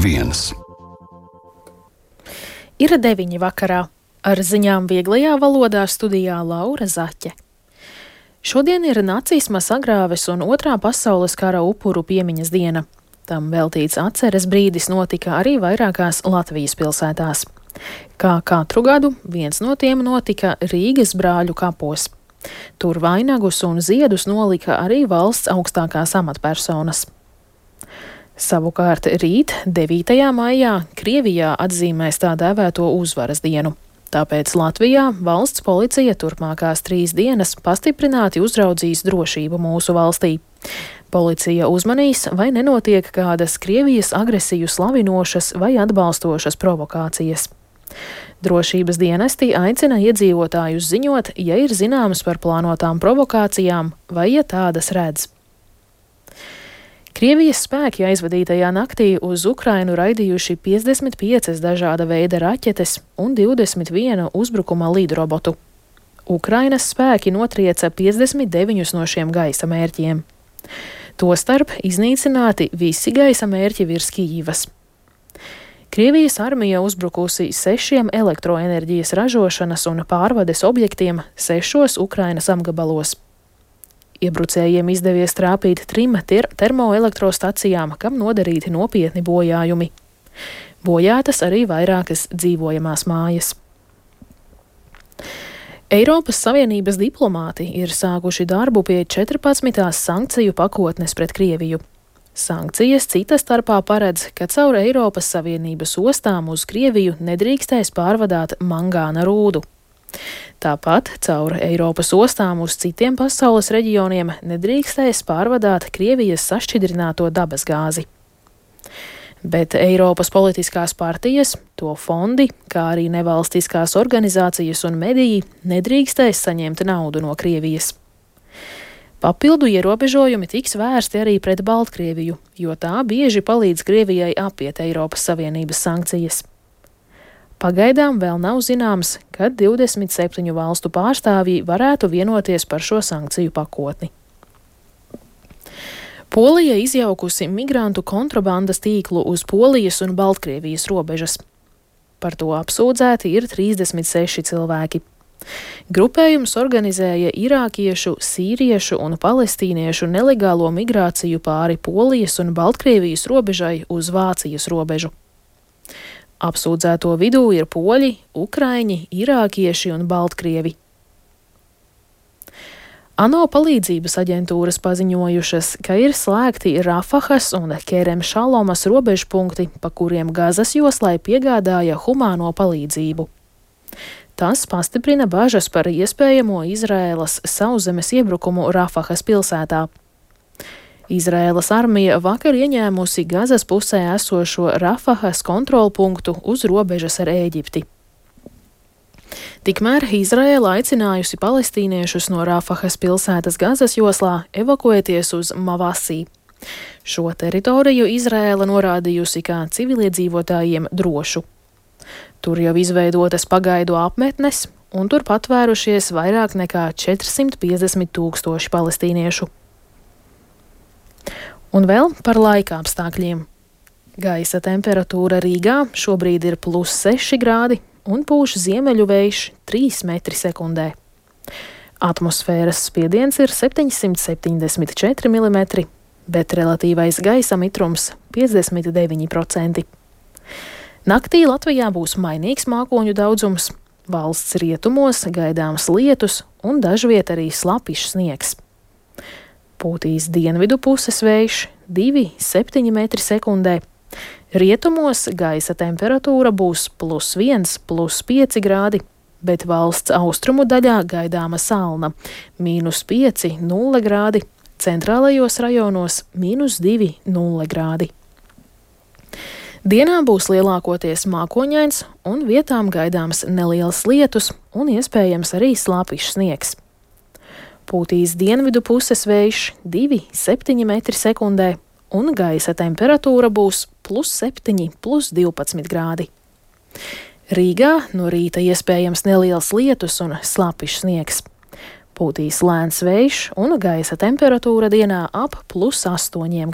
viens. Ir 9 vakarā. Ar ziņām vieglajā valodā studijā Laura Zaķe. Šodien ir nacisma sagrāves un Otrā pasaules kara upuru piemiņas diena. Tam veltīts atceres brīdis notika arī vairākās Latvijas pilsētās. Kā katru gadu, viens no tiem notika Rīgas Brāļu kapos. Tur vainagus un ziedus nolika arī valsts augstākās amatpersonas. Savukārt rīt, 9. maijā, Krievijā atzīmēs tā dēvēto uzvaras dienu. Tāpēc Latvijā valsts policija turpmākās 3 dienas pastiprināti uzraudzīs drošību mūsu valstī. Policija uzmanīs, vai nenotiek kādas Krievijas agresiju slavinošas vai atbalstošas provokācijas. Drošības dienesti aicina iedzīvotājus ziņot, ja ir zināms par plānotām provokācijām vai ja tādas redz. Krievijas spēki aizvadītajā naktī uz Ukrainu raidījuši 55 dažāda veida raķetes un 21 uzbrukuma lidrobotu. Ukrainas spēki notrieca 59 no šiem gaisa mērķiem. Tostarp iznīcināti visi gaisa mērķi virs Kijivas. Krievijas armija uzbrukusi 6 elektroenerģijas ražošanas un pārvades objektiem 6 Ukrainas apgabalos. Iebrucējiem izdevies trāpīt 3 termoelektrostacijām, kam nodarīti nopietni bojājumi. Bojātas arī vairākas dzīvojamās mājas. Eiropas Savienības diplomāti ir sākuši darbu pie 14. sankciju pakotnes pret Krieviju. Sankcijas cita starpā paredz, ka caur Eiropas Savienības ostām uz Krieviju nedrīkstēs pārvadāt mangāna rūdu. Tāpat caur Eiropas ostām uz citiem pasaules reģioniem nedrīkstēs pārvadāt Krievijas sašķidrināto dabasgāzi. Bet Eiropas politiskās partijas, to fondi, kā arī nevalstiskās organizācijas un mediji nedrīkstēs saņemt naudu no Krievijas. Papildu ierobežojumi tiks vērsti arī pret Baltkrieviju, jo tā bieži palīdz Krievijai apiet Eiropas Savienības sankcijas. Pagaidām vēl nav zināms, kad 27 valstu pārstāvji varētu vienoties par šo sankciju pakotni. Polija izjaukusi migrantu kontrabandas tīklu uz Polijas un Baltkrievijas robežas. Par to apsūdzēti ir 36 cilvēki. Grupējums organizēja irākiešu, sīriešu un palestīniešu nelegālo migrāciju pāri Polijas un Baltkrievijas robežai uz Vācijas robežu. Apsūdzēto vidū ir poļi, ukraiņi, irākieši un baltkrievi. ANO palīdzības aģentūras paziņojušas, ka ir slēgti Rafahas un Kerem Šalomas robežpunkti, pa kuriem Gazas joslai piegādāja humāno palīdzību. Tas pastiprina bažas par iespējamo Izraēlas sauszemes iebrukumu Rafahas pilsētā. Izraēlas armija vakar ieņēmusi Gazas pusē esošo Rafahas kontrolpunktu uz robežas ar Ēģipti. Tikmēr Izraēla aicinājusi palestīniešus no Rafahas pilsētas Gazas joslā evakuēties uz Mavasī. Šo teritoriju Izraēla norādījusi kā civiliedzīvotājiem drošu. Tur jau izveidotas pagaidu apmetnes, un tur patvērušies vairāk nekā 450 000 palestīniešu. Un vēl par laika apstākļiem. Gaisa temperatūra Rīgā šobrīd ir +6 grādi un pūš ziemeļu vējš 3 metri sekundē. Atmosfēras spiediens ir 774 mm, bet relatīvais gaisa mitrums 59%. Naktī Latvijā būs mainīgs mākoņu daudzums, valsts rietumos gaidāms lietus un dažviet arī slapjš sniegs. Pūtīs dienvidu puses vējš 2,7 metri sekundē. Rietumos gaisa temperatūra būs +1, +5 grādi, bet valsts austrumu daļā gaidāma salna -5, 0 grādi, centrālajos rajonos -2, 0 grādi. Dienā būs lielākoties mākoņains un vietām gaidāms neliels lietus un iespējams arī slapjš sniegs. Pūtīs dienvidu puses vējš 2,7 metri sekundē, un gaisa temperatūra būs +7, +12 grādi. Rīgā no rīta iespējams neliels lietus un slapjš sniegs. Pūtīs lēns vējš un gaisa temperatūra dienā ap +8 grādiem.